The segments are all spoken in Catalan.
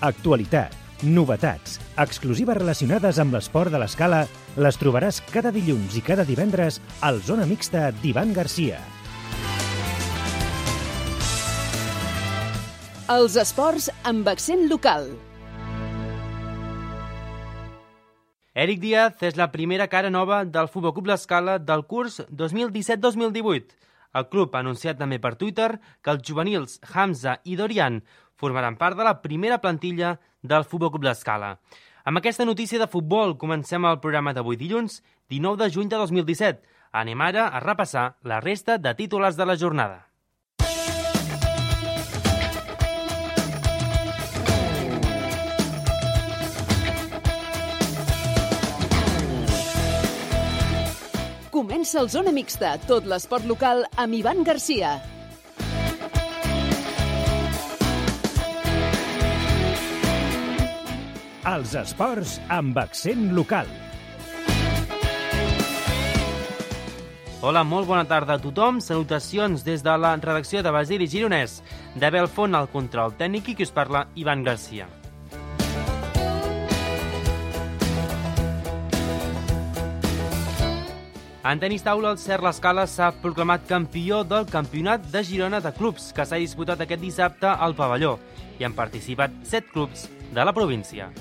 Actualitat, novetats, exclusives relacionades amb l'esport de l'escala les trobaràs cada dilluns i cada divendres al Zona Mixta d'Ivan Garcia. Els esports amb accent local. Eric Díaz és la primera cara nova del Futbol Club L'Escala del curs 2017-2018. El club ha anunciat també per Twitter que els juvenils Hamza i Dorian formaran part de la primera plantilla del Futbol Club L'Escala. Amb aquesta notícia de futbol comencem el programa d'avui dilluns, 19 de juny de 2017. Anem ara a repassar la resta de titulars de la jornada. Comença el Zona Mixta, tot l'esport local amb Ivan Garcia. Els esports amb accent local. Hola, molt bona tarda a tothom. Salutacions des de la redacció de Basili Gironès. De Belfont, al control tècnic, i qui us parla, Ivan Garcia. En tenis taula, el Cert L'Escala s'ha proclamat campió del Campionat de Girona de Clubs, que s'ha disputat aquest dissabte al pavelló, i han participat 7 clubs de la província.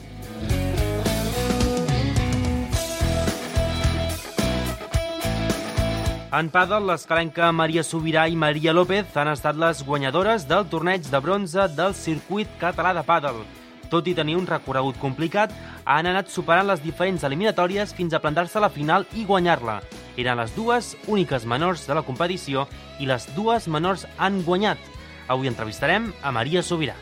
En pàdel, l'escalenca Maria Sobirà i Maria López han estat les guanyadores del torneig de bronze del circuit català de pàdel. Tot i tenir un recorregut complicat, han anat superant les diferents eliminatòries fins a plantar-se a la final i guanyar-la. Eren les dues úniques menors de la competició i les dues menors han guanyat. Avui entrevistarem a Maria Sobirà.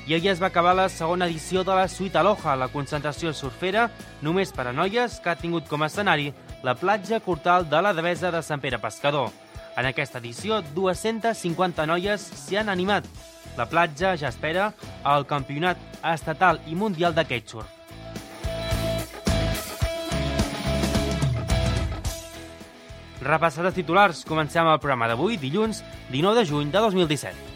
I ahir es va acabar la segona edició de la Suite Aloha, la concentració surfera només per a noies que ha tingut com a escenari la platja Cortal de la Devesa de Sant Pere Pescador. En aquesta edició, 250 noies s'hi han animat. La platja ja espera el campionat estatal i mundial de kitesurf. Repassats els titulars, comencem el programa d'avui, dilluns 19 de juny de 2017.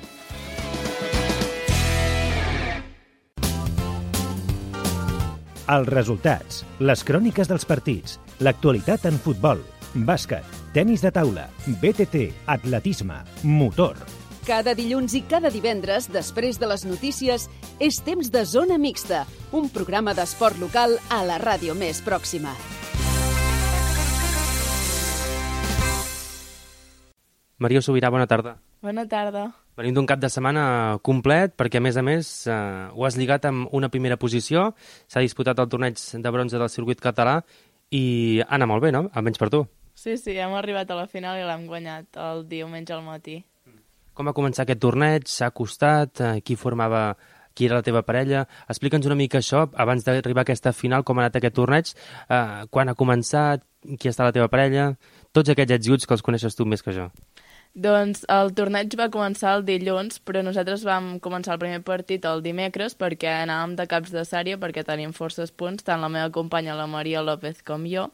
Els resultats, les cròniques dels partits, l'actualitat en futbol, bàsquet, tenis de taula, BTT, atletisme, motor. Cada dilluns i cada divendres, després de les notícies, és temps de Zona Mixta, un programa d'esport local a la ràdio més pròxima. Maria Sobirà, bona tarda. Bona tarda. Venim d'un cap de setmana complet perquè, a més, ho has lligat amb una primera posició. S'ha disputat el torneig de bronze del circuit català i ha anat molt bé, no? Almenys per tu. Sí, hem arribat a la final i l'hem guanyat el diumenge al matí. Com va començar aquest torneig? S'ha costat? Qui era la teva parella? Explica'ns una mica això, abans d'arribar a aquesta final, com ha anat aquest torneig, quan ha començat, qui està la teva parella, tots aquests ets i uts que els coneixes tu més que jo. Doncs el torneig va començar el dilluns, però nosaltres vam començar el primer partit el dimecres perquè anàvem de caps de sèrie, perquè tenim forces punts, tant la meva companya, la Maria López, com jo.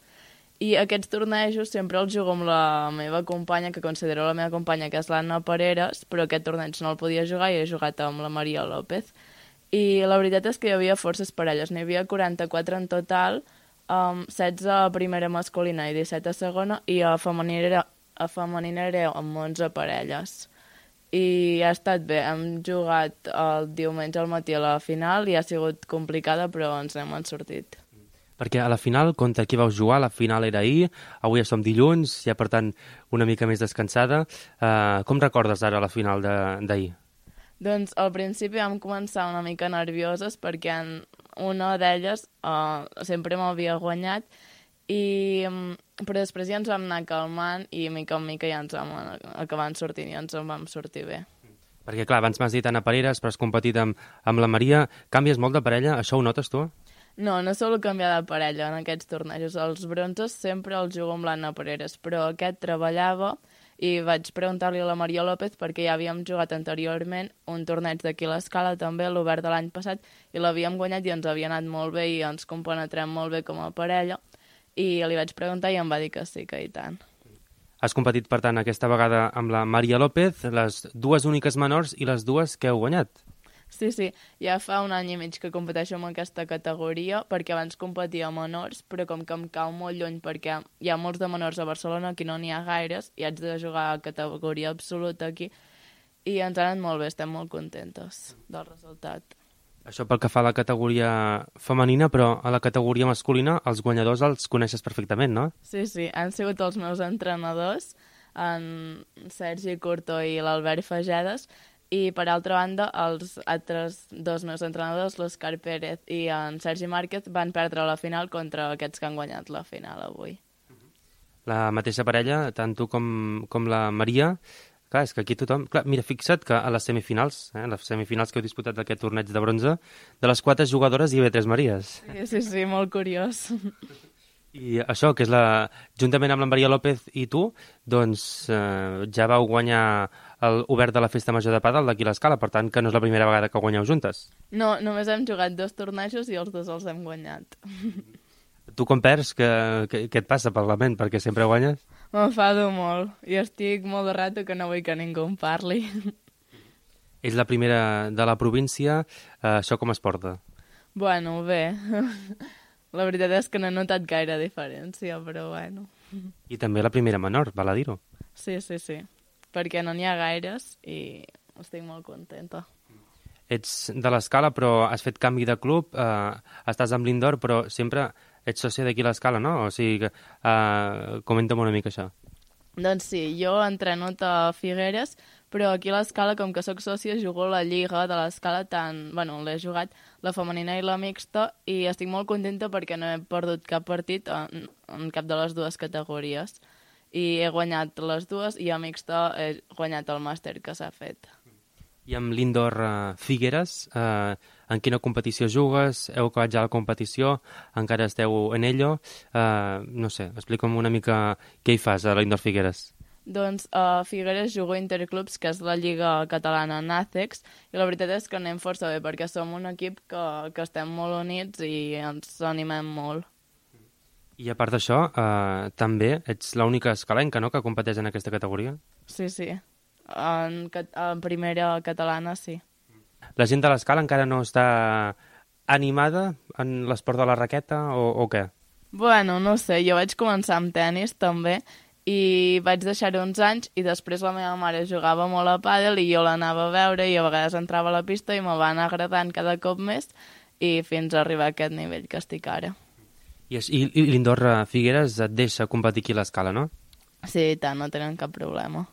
I aquests tornejos sempre els jugo amb la meva companya, que considero la meva companya, que és l'Anna Pareres, però aquest torneig no el podia jugar i he jugat amb la Maria López. I la veritat és que hi havia forces parelles, n'hi havia 44 en total, 16 a primera masculina i 17 a segona, i a femenina era amb 11 parelles. I ha estat bé, hem jugat el diumenge al matí a la final i ha sigut complicada, però ens n'hem sortit. Perquè a la final, contra qui vau jugar? La final era ahir, avui ja som dilluns, ja per tant una mica més descansada. Com recordes ara la final d'ahir? Doncs al principi vam començar una mica nervioses perquè una d'elles sempre m'havia guanyat, però després ja ens vam anar calmant i mica en mica ja ens vam acabar sortint i ens en vam sortir bé. Perquè clar, abans m'has dit Anna Pareres, però has competit amb la Maria. Canvies molt de parella? Això ho notes tu? No solo canviar de parella en aquests tornejos. Els bronzes sempre els jugo amb l'Anna Pareres, però aquest treballava i vaig preguntar-li a la Maria López perquè ja havíem jugat anteriorment un torneig d'aquí a l'Escala, també l'Obert de l'any passat, i l'havíem guanyat i ens havia anat molt bé i ens compenetrem molt bé com a parella, i li vaig preguntar i em va dir que sí, que i tant. Has competit, per tant, aquesta vegada amb la Maria López, les dues úniques menors i les dues que heu guanyat. Sí, ja fa un any i mig que competeixo en aquesta categoria, perquè abans competia a menors, però com que em cau molt lluny perquè hi ha molts de menors a Barcelona, aquí no n'hi ha gaires, i haig de jugar a categoria absoluta aquí, i ens ha anat molt bé, estem molt contentes del resultat. Això pel que fa a la categoria femenina, però a la categoria masculina els guanyadors els coneixes perfectament, no? Sí, han sigut els meus entrenadors, en Sergi Curto i l'Albert Fagedes, i, per altra banda, els altres dos meus entrenadors, l'Òscar Pérez i en Sergi Márquez, van perdre la final contra aquests que han guanyat la final avui. La mateixa parella, tant tu com la Maria, clar, és que aquí tothom... Clar, mira, fixa't que a les semifinals que heu disputat d'aquest torneig de bronze, de les 4 jugadores hi havia 3 Maries. Sí, molt curiós. I això, que és juntament amb la Maria López i tu, doncs ja vau guanyar l'Obert de la Festa Major de Pàdel d'aquí a l'Escala, per tant que no és la primera vegada que guanyeu juntes. No, només hem jugat 2 tornejos i els 2 els hem guanyat. Tu com perds, què et passa per la ment, perquè sempre guanyes? M'enfado molt i estic molt de rato que no vull que ningú em parli. Ets la primera de la província, això com es porta? Bueno, bé... La veritat és que no he notat gaire diferència, però bueno. I també la primera menor, val a dir-ho. Sí, perquè no n'hi ha gaires i estic molt contenta. Ets de l'Escala, però has fet canvi de club, estàs amb l'Indoor, però sempre ets sòcia d'aquí a l'Escala, no? O sigui, comenta'm una mica això. Doncs sí, jo entreno a Figueres, però aquí a l'Escala, com que sóc sòcia, jugo a la Lliga de l'Escala, l'he jugat la femenina i la mixta, i estic molt contenta perquè no he perdut cap partit en cap de les dues categories. I he guanyat les dues, i a mixta he guanyat el màster que s'ha fet. I amb l'Indoor Figueres, en quina competició jugues? Heu acabat ja la competició? Encara esteu en ello? No sé, explica'm una mica què hi fas a l'Indoor Figueres. Doncs a Figueres jugo Interclubs, que és la lliga catalana NACEX, i la veritat és que anem força bé, perquè som un equip que estem molt units i ens animem molt. I a part d'això, també ets l'única escalenca, no?, que competeix en aquesta categoria? Sí. En primera catalana, sí. La gent de l'Escala encara no està animada en l'esport de la raqueta o què? Bueno, no sé, jo vaig començar amb tennis també i vaig deixar-ho uns anys i després la meva mare jugava molt a pàdel i jo l'anava a veure i a vegades entrava a la pista i me va anar agradant cada cop més i fins a arribar a aquest nivell que estic ara. I l'Indoor Figueres et deixa competir aquí a l'Escala, no? Sí, i tant, no tenen cap problema.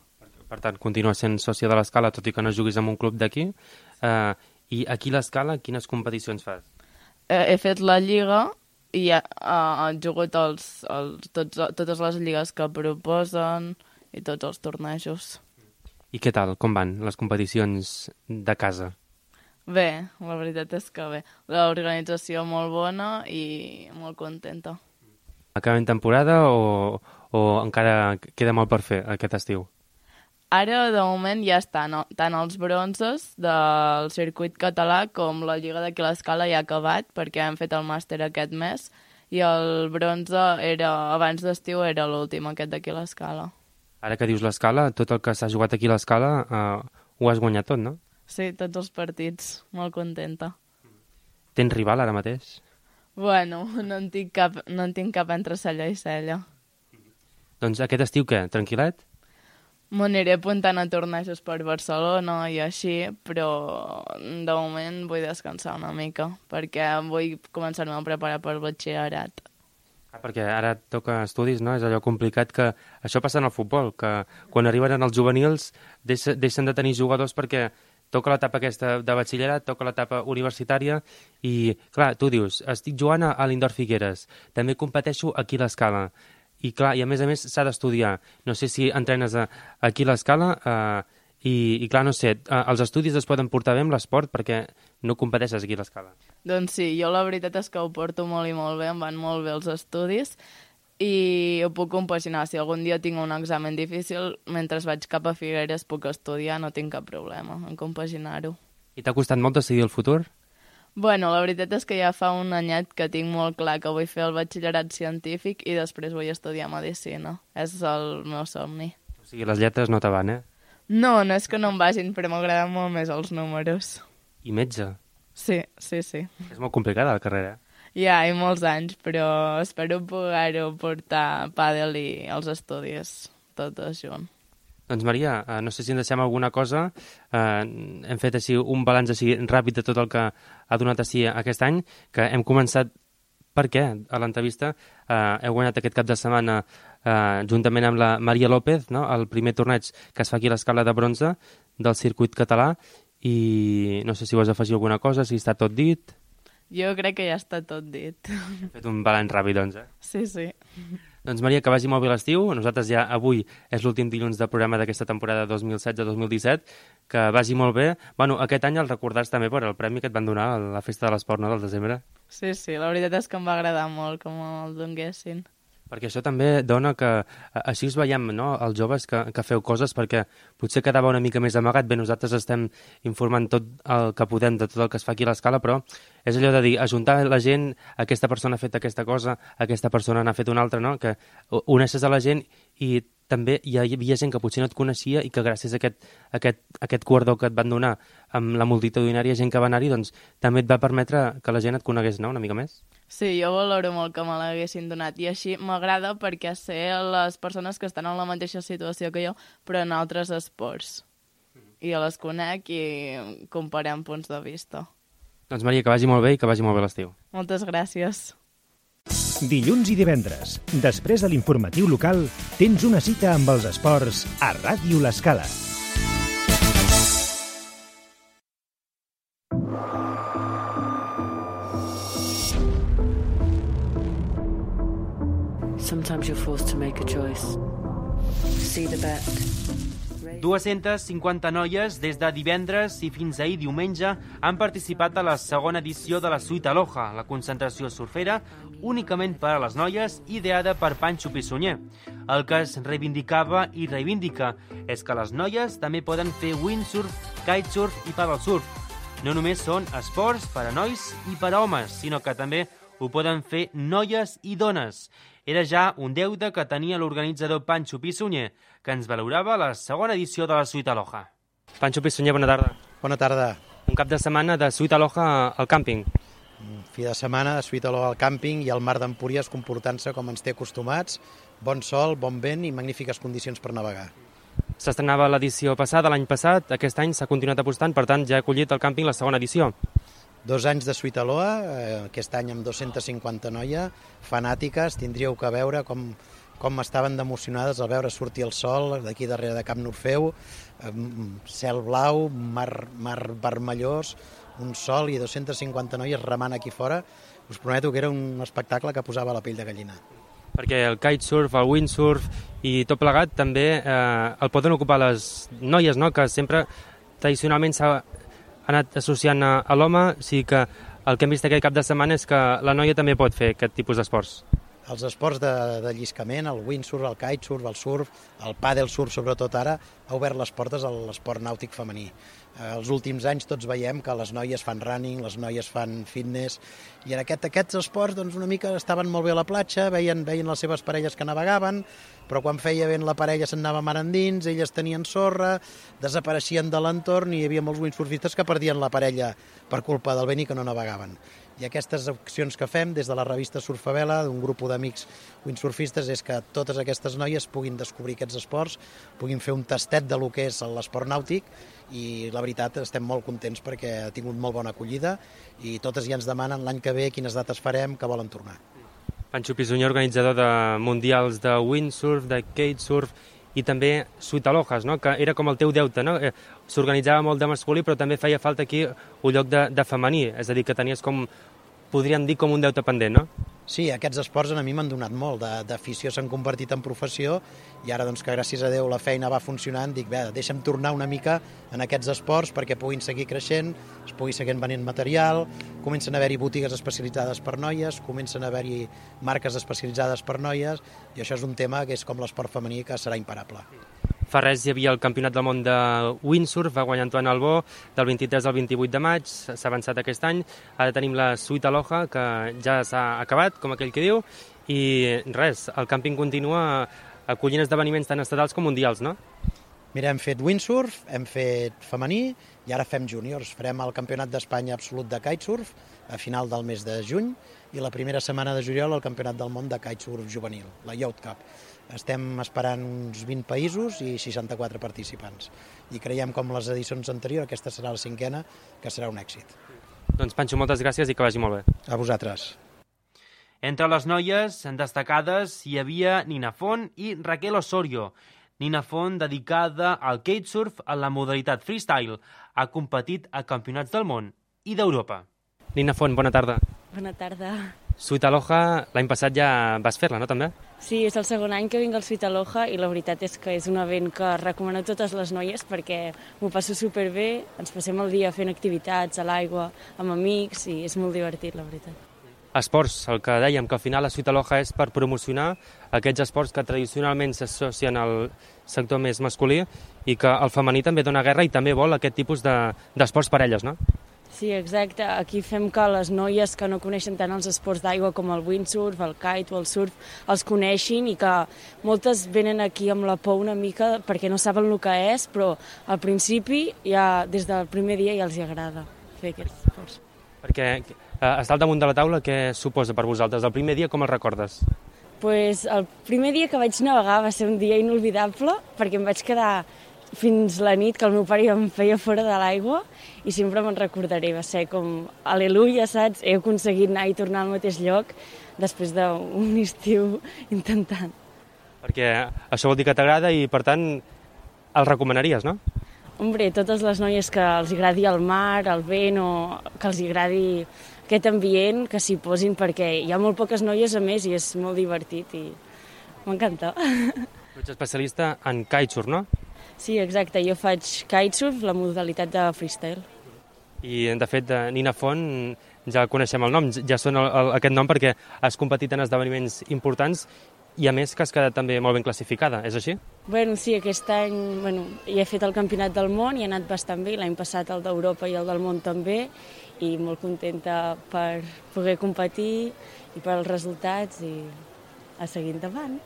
Per tant, continues sent sòcia de l'Escala, tot i que no juguis en un club d'aquí. I aquí a l'Escala, quines competicions fas? He fet la lliga i he jugat totes les lligues que proposen i tots els tornejos. I què tal? Com van les competicions de casa? Bé, la veritat és que bé. L'organització molt bona i molt contenta. Acabem temporada o encara queda molt per fer aquest estiu? Ara, de moment, ja estan tant els bronzes del circuit català com la Lliga d'aquí a l'Escala ja ha acabat, perquè hem fet el màster aquest mes, i el bronze abans d'estiu era l'últim, aquest d'aquí a l'Escala. Ara que dius l'Escala, tot el que s'ha jugat aquí a l'Escala ho has guanyat tot, no? Sí, tots els partits. Molt contenta. Tens rival ara mateix? Bueno, no en tinc cap entre cella i cella. Doncs aquest estiu què? Tranquil·let? M'aniré apuntant a tornejos per Barcelona i així, però de moment vull descansar una mica, perquè vull començar-me a preparar per batxillerat. Perquè ara toca estudis, no? És allò complicat que... Això passa en el futbol, que quan arriben els juvenils deixen de tenir jugadors perquè toca l'etapa aquesta de batxillerat, toca l'etapa universitària i, clar, tu dius, estic jugant a l'Indoor Figueres, també competeixo aquí a l'Escala. I clar, i a més s'ha d'estudiar. No sé si entrenes aquí a l'Escala i clar, no sé, els estudis es poden portar bé amb l'esport perquè no competeixes aquí a l'Escala. Doncs sí, jo la veritat és que ho porto molt i molt bé, em van molt bé els estudis i ho puc compaginar. Si algun dia tinc un examen difícil, mentre vaig cap a Figueres puc estudiar, no tinc cap problema en compaginar-ho. I t'ha costat molt decidir el futur? Bueno, la veritat és que ja fa un anyet que tinc molt clar que vull fer el batxillerat científic i després vull estudiar medicina. És el meu somni. O sigui, les lletres no te van, No és que no em vagin, però m'agraden molt més els números. I metge. Sí. És molt complicada la carrera. Ja, i molts anys, però espero poder-ho portar pàdel i els estudis tots junts. Doncs Maria, no sé si ens deixem alguna cosa. Hem fet així un balanç així ràpid de tot el que ha donat així aquest any, que hem començat per què a l'entrevista. Heu guanyat aquest cap de setmana juntament amb la Maria López, no? El primer torneig que es fa aquí a l'Escala de Bronze del circuit català, i no sé si vols afegir alguna cosa, si està tot dit. Jo crec que ja està tot dit. Hem fet un balanç ràpid, doncs, Sí. Doncs Maria, que vagi molt bé l'estiu. Nosaltres ja avui és l'últim dilluns del programa d'aquesta temporada 2016-2017. Que vagi molt bé. Bueno, aquest any el recordars també per el premi que et van donar a la Festa de l'Esport, no?, del desembre. Sí, la veritat és que em va agradar molt que me'l donguessin. Perquè això també dona que així us veiem, no?, els joves que feu coses, perquè potser quedava una mica més amagat. Bé, nosaltres estem informant tot el que podem de tot el que es fa aquí a l'Escala, però és allò de dir, ajuntar la gent, aquesta persona ha fet aquesta cosa, aquesta persona n'ha fet una altra, no?, que uneixes a la gent i també hi havia gent que potser no et coneixia i que gràcies a aquest guardó que et van donar amb la multitudinària gent que va anar-hi, doncs també et va permetre que la gent et conegués, no?, una mica més. Sí, jo valoro molt que me l'haguessin donat i així m'agrada perquè sé les persones que estan en la mateixa situació que jo però en altres esports. I jo les conec i comparem punts de vista. Doncs Maria, que vagi molt bé i que vagi molt bé l'estiu. Moltes gràcies. Dilluns i divendres, després de l'informatiu local, tens una cita amb els esports a Ràdio l'Escala. Sometimes you're forced to make a choice. See the bet. 250 noies des de divendres i fins ahir diumenge han participat a la segona edició de la Suite Aloha, la concentració surfera únicament per a les noies, ideada per Pancho Pissunyer. El que es reivindicava i reivindica és que les noies també poden fer windsurf, kitesurf i paddlesurf. No només són esports per a nois i per a homes, sinó que també ho poden fer noies i dones. Era ja un deute que tenia l'organitzador Pancho Pissunyer, que ens valorava la segona edició de la Suite Aloha. Pancho Pissunyer, bona tarda. Bona tarda. Un cap de setmana de Suite Aloha al càmping. Fi de setmana de Suite Aloha al càmping i el mar d'Empúries comportant-se com ens té acostumats. Bon sol, bon vent i magnífiques condicions per navegar. S'estrenava l'edició passada, l'any passat. Aquest any s'ha continuat apostant, per tant ja ha acollit al càmping la segona edició. 2 anys de Suite Aloha, aquest any amb 250 noies fanàtiques. Tindríeu que veure com estaven d'emocionades al veure sortir el sol d'aquí darrere de Camp Norfeu, cel blau, mar vermellós, un sol i 250 noies remant aquí fora. Us prometo que era un espectacle que posava la pell de gallina. Perquè el kitesurf, el windsurf i tot plegat també el poden ocupar les noies, no?, que sempre tradicionalment s'ha anat associant a l'home, o sigui que el que hem vist aquest cap de setmana és que la noia també pot fer aquest tipus d'esports. Els esports de lliscament, el windsurf, el kitesurf, el surf, el paddlesurf sobretot ara, ha obert les portes a l'esport nàutic femení. Els últims anys tots veiem que les noies fan running, les noies fan fitness, i en aquests esports doncs, una mica estaven molt bé a la platja, veien les seves parelles que navegaven, però quan feia vent la parella se'n anava mar endins, elles tenien sorra, desapareixien de l'entorn i hi havia molts windsurfistes que perdien la parella per culpa del vent i que no navegaven. I aquestes accions que fem des de la revista Surfavela, d'un grup d'amics windsurfistes, és que totes aquestes noies puguin descobrir aquests esports, puguin fer un tastet de lo que és l'esport nàutic, i la veritat estem molt contents perquè ha tingut molt bona acollida i totes ja ens demanen l'any que ve quines dates farem, que volen tornar. Pancho Pissunyer, organitzador de mundials de windsurf, de kitesurf i també Suite Alohas, no?, que era com el teu deute, no? S'organitzava molt de masculí, però també feia falta aquí un lloc de femení, és a dir, que tenies com, podríem dir, com un deute pendent, no? Sí, aquests esports a mi m'han donat molt, d'afició s'han convertit en professió i ara doncs que gràcies a Déu la feina va funcionant, dic, bé, deixa'm tornar una mica en aquests esports perquè puguin seguir creixent, es pugui seguir venent material, comencen a haver-hi botigues especialitzades per noies, comencen a haver-hi marques especialitzades per noies i això és un tema que és com l'esport femení que serà imparable. Fa res hi havia el Campionat del Món de Windsurf, va guanyar Antoine Albó, del 23 al 28 de maig, s'ha avançat aquest any. Ara tenim la Sweet Aloha, que ja s'ha acabat, com aquell que diu, i res, el càmping continua acollint esdeveniments tant estatals com mundials, no? Mira, hem fet windsurf, hem fet femení i ara fem júniors. Farem el Campionat d'Espanya absolut de kitesurf a final del mes de juny i la primera setmana de juliol el Campionat del món de kitesurf juvenil, la Youth Cup. Estem esperant uns 20 països i 64 participants. I creiem, com les edicions anteriors, aquesta serà la 5ª, que serà un èxit. Doncs Panxo, moltes gràcies i que vagi molt bé. A vosaltres. Entre les noies destacades hi havia Nina Font i Raquel Osorio. Nina Font, dedicada al kitesurf en la modalitat freestyle, ha competit a campionats del món i d'Europa. Nina Font, bona tarda. Bona tarda. Sweet Aloha, l'any passat ja vas fer-la, no, també? Sí, és el segon any que vinc al Sweet Aloha i la veritat és que és un event que recomano a totes les noies perquè m'ho passo superbé, ens passem el dia fent activitats a l'aigua, amb amics i és molt divertit, la veritat. Esports, el que dèiem, que al final la Sweet Aloha és per promocionar aquests esports que tradicionalment s'associen al sector més masculí i que el femení també dona guerra i també vol aquest tipus d'esports per elles, no? Sí, exacte. Aquí fem que les noies que no coneixen tant els esports d'aigua com el windsurf, el kite o el surf, els coneixin i que moltes venen aquí amb la por una mica perquè no saben el que és, però al principi, ja des del primer dia ja els agrada fer aquests esports. Perquè estar al damunt de la taula, què suposa per vosaltres? El primer dia com el recordes? Pues el primer dia que vaig navegar va ser un dia inolvidable perquè em vaig quedar fins la nit que el meu pare em feia fora de l'aigua i sempre me'n recordaré, va ser com aleluia, saps? He aconseguit anar i tornar al mateix lloc després d'un estiu intentant. Perquè això vol dir que t'agrada i per tant el recomanaries, no? Hombre, totes les noies que els agradi el mar, el vent o que els agradi aquest ambient, que s'hi posin perquè hi ha molt poques noies a més i és molt divertit i m'encanta. Tu ets especialista en kitesurf, no? Sí, exacte. Jo faig kitesurf, la modalitat de freestyle. I, de fet, Nina Font, ja coneixem el nom, ja sona aquest nom perquè has competit en esdeveniments importants i, a més, que has quedat també molt ben classificada, és així? Bueno, sí, aquest any ja he fet el Campionat del món i ha anat bastant bé, l'any passat el d'Europa i el del món també, i molt contenta per poder competir i per als resultats i a seguir endavant.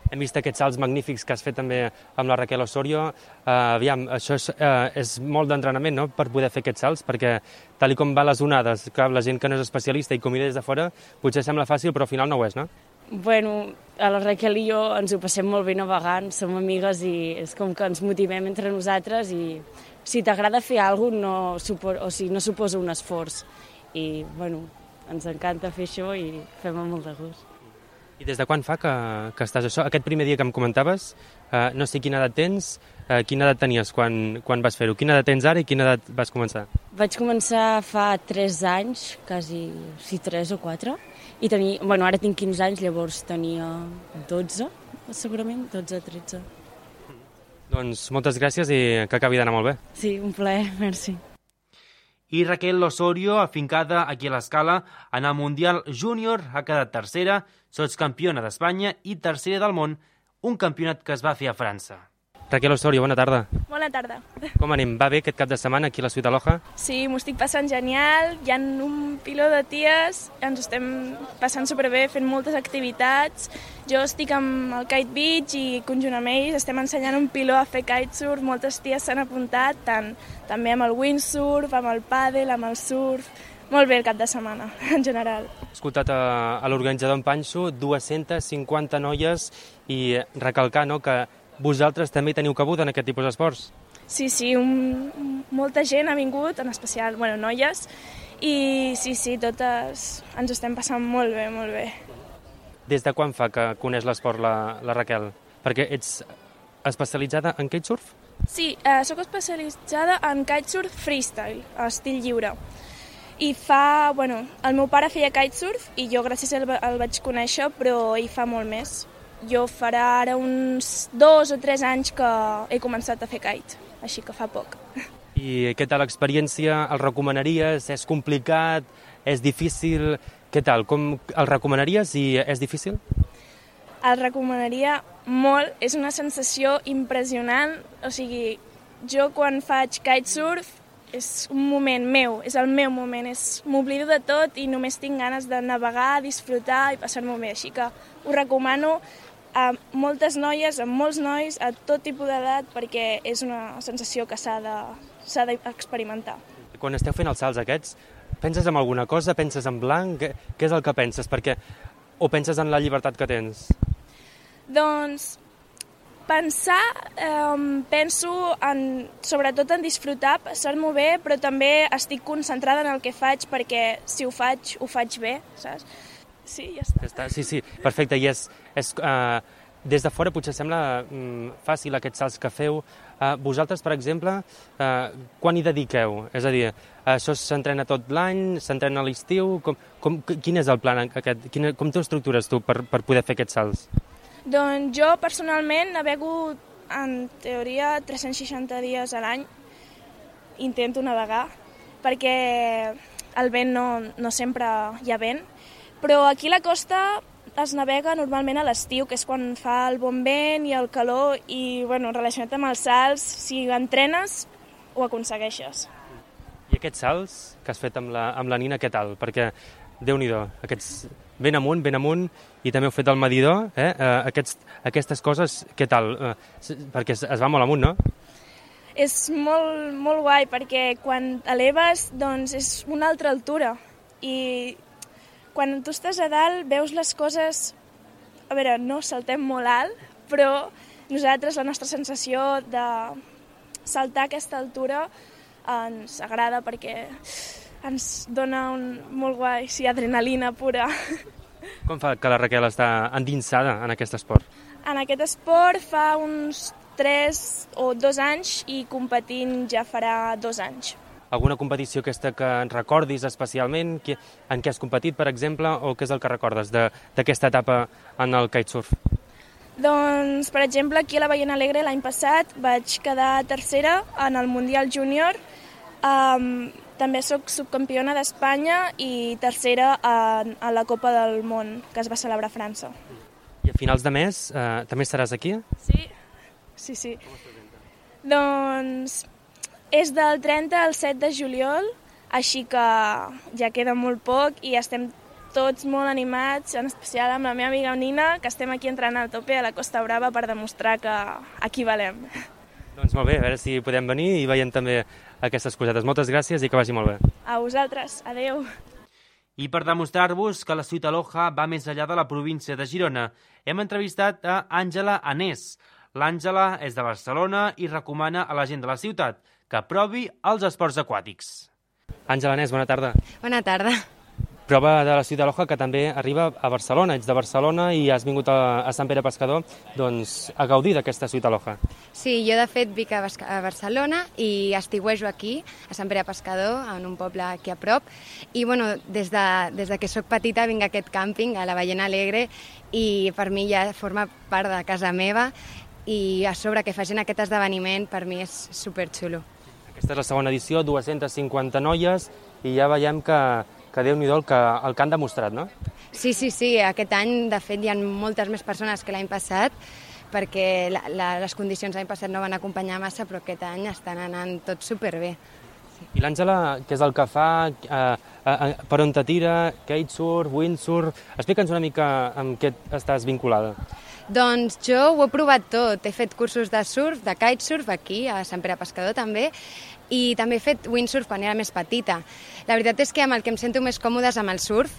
Hem vist aquests salts magnífics que has fet també amb la Raquel Osorio. Aviam, això és molt d'entrenament, no?, per poder fer aquests salts, perquè tal com van les onades, clar, la gent que no és especialista i com mira des de fora, potser sembla fàcil, però al final no ho és, no? Bueno, a la Raquel i jo ens ho passem molt bé navegant, som amigues i és com que ens motivem entre nosaltres i si t'agrada fer alguna cosa no suposa un esforç. I, bueno, ens encanta fer això i fem amb molt de gust. I des de quan fa que estàs això? Aquest primer dia que em comentaves, no sé quina edat tens, quina edat tenies quan vas fer-ho? Quina edat tens ara i quina edat vas començar? Vaig començar fa 3 anys, quasi, sí, 3 o 4, i ara tinc 15 anys, llavors tenia 12, segurament, 12 o 13. Doncs moltes gràcies i que acabi d'anar molt bé. Sí, un plaer, merci. I Raquel Osorio, afincada aquí a l'Escala, en el Mundial Júnior ha quedat tercera, sotscampiona d'Espanya i tercera del món, un campionat que es va fer a França. Raquel Osorio, bona tarda. Bona tarda. Com anem? Va bé aquest cap de setmana aquí a la Sweet Aloha? Sí, m'ho estic passant genial, hi ha un piló de ties, ens estem passant superbé, fent moltes activitats. Jo estic amb el Kite Beach i conjunt amb ells estem ensenyant un piló a fer kitesurf, moltes ties s'han apuntat, també amb el windsurf, amb el pàdel, amb el surf. Molt bé el cap de setmana, en general. He escoltat a l'organitzador en Panxo, 250 noies i recalcar, no?, que vosaltres també teniu cabuda en aquest tipus d'esports. Sí, molta gent ha vingut, en especial, noies, i sí, totes ens estem passant molt bé, molt bé. Des de quan fa que coneix l'esport la Raquel? Perquè ets especialitzada en kitesurf? Sí, sóc especialitzada en kitesurf freestyle, estil lliure. I el meu pare feia kitesurf i jo gràcies a ell el vaig conèixer, però ell fa molt més. Jo farà ara uns 2 o 3 anys que he començat a fer kite, així que fa poc. I què tal l'experiència? El recomanaries? És complicat? És difícil? Què tal? Com el recomanaries i és difícil? el recomanaria molt. És una sensació impressionant. O sigui, jo quan faig kitesurf és un moment meu, és el meu moment. M'oblido de tot i només tinc ganes de navegar, disfrutar i passar-m'ho bé. Així que ho recomano a moltes noies, a molts nois, a tot tipus d'edat, perquè és una sensació que s'ha d'experimentar. Quan esteu fent els salts aquests, penses en alguna cosa? Penses en blanc? Què és el que penses? O penses en la llibertat que tens? Doncs pensar, penso sobretot en disfrutar, passar-m'ho bé, però també estic concentrada en el que faig perquè si ho faig bé, saps? Sí, ja està. Sí, perfecte. I des de fora potser sembla fàcil aquests salts que feu. Vosaltres, per exemple, quan hi dediqueu? És a dir, això s'entrena tot l'any, s'entrena a l'estiu? Quin és el plan aquest? Com t'ho estructures tu per poder fer aquests salts? Doncs jo personalment navego en teoria 360 dies a l'any. Intento navegar perquè el vent no sempre hi ha vent, però aquí a la costa es navega normalment a l'estiu, que és quan fa el bon vent i el calor, i relacionat amb els salts, si entrenes, ho aconsegueixes. I aquests salts que has fet amb la Nina, què tal? Perquè, Déu-n'hi-do, aquests ben amunt, i també heu fet el medidor, aquestes coses, què tal? Perquè es va molt amunt, no? És molt, molt guai, perquè quan eleves, doncs és una altra altura, i quan tu estàs a dalt veus les coses, a veure, no saltem molt alt, però nosaltres la nostra sensació de saltar a aquesta altura ens agrada perquè ens dona molt guai, adrenalina pura. Com fa que la Raquel està endinsada en aquest esport? En aquest esport fa uns 3 o 2 anys i competint ja farà 2 anys. Alguna competició aquesta que ens recordis especialment? En què has competit, per exemple, o què és el que recordes d'aquesta etapa en el kitesurf? Doncs, per exemple, aquí a la Ballena Alegre l'any passat vaig quedar tercera en el Mundial Júnior. També soc subcampiona d'Espanya i tercera a la Copa del Món, que es va celebrar a França. I a finals de mes també estaràs aquí? Sí. Doncs és del 30 al 7 de juliol, així que ja queda molt poc i estem tots molt animats, en especial amb la meva amiga Nina, que estem aquí entrenant a tope a la Costa Brava per demostrar que aquí valem. Doncs molt bé, a veure si podem venir i veiem també aquestes cosetes. Moltes gràcies i que vagi molt bé. A vosaltres, adeu. I per demostrar-vos que la Ciutat Aloha va més enllà de la província de Girona, hem entrevistat a Àngela Anés. L'Àngela és de Barcelona i recomana a la gent de la ciutat que provi els esports aquàtics. Àngela Anés, bona tarda. Bona tarda. Prova de la Ciutat Aloha que també arriba a Barcelona. Ets de Barcelona i has vingut a Sant Pere Pescador a gaudir d'aquesta Ciutat Aloha. Sí, jo de fet vinc a Barcelona i estiuejo aquí, a Sant Pere Pescador, en un poble aquí a prop. I des de que sóc petita vinc a aquest càmping, a la Ballena Alegre, i per mi ja forma part de casa meva, i a sobre que facin aquest esdeveniment per mi és superxulo. Aquesta és la segona edició, 250 noies, i ja veiem que Déu-n'hi-do el que han demostrat, no? Sí, aquest any de fet hi ha moltes més persones que l'any passat, perquè les condicions l'any passat no van acompanyar massa, però aquest any estan anant tot superbé. I l'Àngela, què és el que fa? Per on te tira? Kitesurf, windsurf? Explica'ns una mica amb què estàs vinculada. Doncs jo ho he provat tot. He fet cursos de surf, de kitesurf, aquí, a Sant Pere Pescador també, i també he fet windsurf quan era més petita. La veritat és que amb el que em sento més còmodes amb el surf,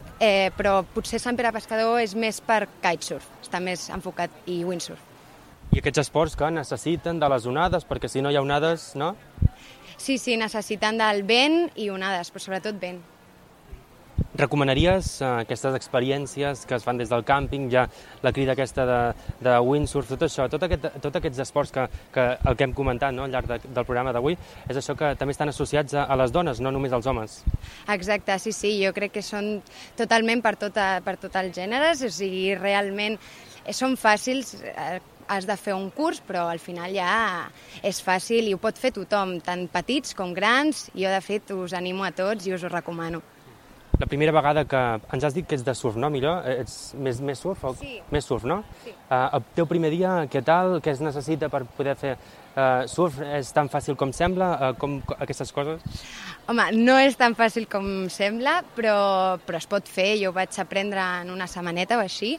però potser Sant Pere Pescador és més per kitesurf, està més enfocat, i windsurf. I aquests esports que necessiten de les onades, perquè si no hi ha onades, no? Sí, necessiten del vent i onades, però sobretot vent. Recomanaries aquestes experiències que es fan des del càmping, ja la crida aquesta de windsurf, tot això, tots aquests esports que el que hem comentat al llarg del programa d'avui, és això que també estan associats a les dones, no només als homes. Exacte, sí, jo crec que són totalment per tots els gèneres, o sigui, realment són fàcils, has de fer un curs, però al final ja és fàcil i ho pot fer tothom, tant petits com grans. Jo, de fet, us animo a tots i us ho recomano. La primera vegada que ens has dit que ets de surf, no? Millor? Ets més surf? Sí. Més surf, no? Sí. El teu primer dia, què tal? Què es necessita per poder fer surf? És tan fàcil com sembla? Com aquestes coses? Home, no és tan fàcil com sembla, però es pot fer. Jo ho vaig aprendre en una setmaneta o així.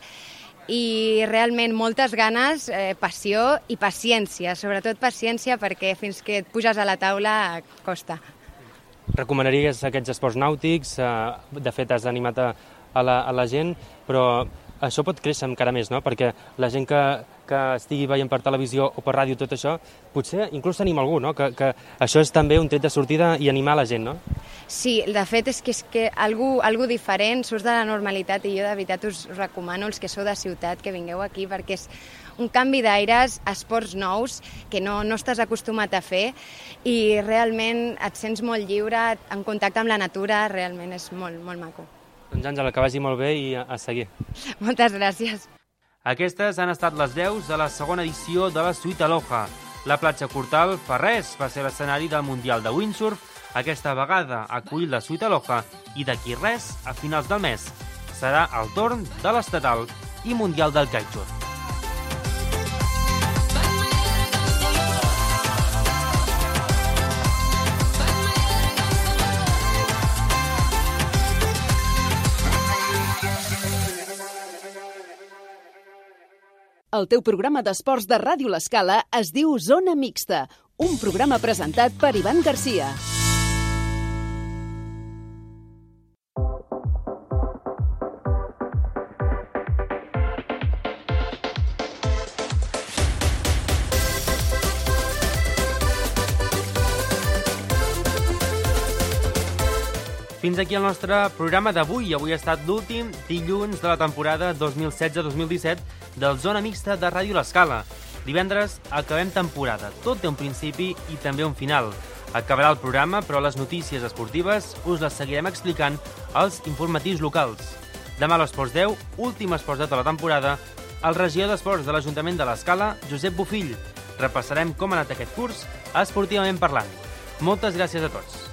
I realment moltes ganes, passió i paciència. Sobretot paciència perquè fins que et puges a la taula costa. Recomanaries aquests esports nàutics? De fet, has animat a la gent, però això pot créixer encara més, no? Perquè la gent que estigui veient per televisió o per ràdio tot això, potser inclús s'anima algú, no? Que això és també un tret de sortida i animar la gent, no? Sí, de fet és que algú diferent, surts de la normalitat i jo de veritat us recomano, els que sou de ciutat, que vingueu aquí perquè és un canvi d'aires, esports nous que no estàs acostumat a fer i realment et sents molt lliure, en contacte amb la natura, realment és molt, molt maco. Doncs Àngela, que vagi molt bé i a seguir. Moltes gràcies. Aquestes han estat les veus de la segona edició de la Suite Aloha. La platja Cortal fa res, va ser l'escenari del Mundial de Windsurf. Aquesta vegada ha acollit la Suite Aloha i d'aquí res, a finals del mes, serà el torn de l'estatal i mundial del kitesurf. El teu programa d'esports de Ràdio L'Escala es diu Zona Mixta, un programa presentat per Ivan Garcia. Fins aquí el nostre programa d'avui. Avui ha estat l'últim dilluns de la temporada 2016-2017 del Zona Mixta de Ràdio L'Escala. Divendres acabem temporada. Tot té un principi i també un final. Acabarà el programa, però les notícies esportives us les seguirem explicant als informatius locals. Demà a l'Esports 10, últim esports de tota la temporada, el regidor d'Esports de l'Ajuntament de l'Escala, Josep Bofill. Repassarem com ha anat aquest curs esportivament parlant. Moltes gràcies a tots.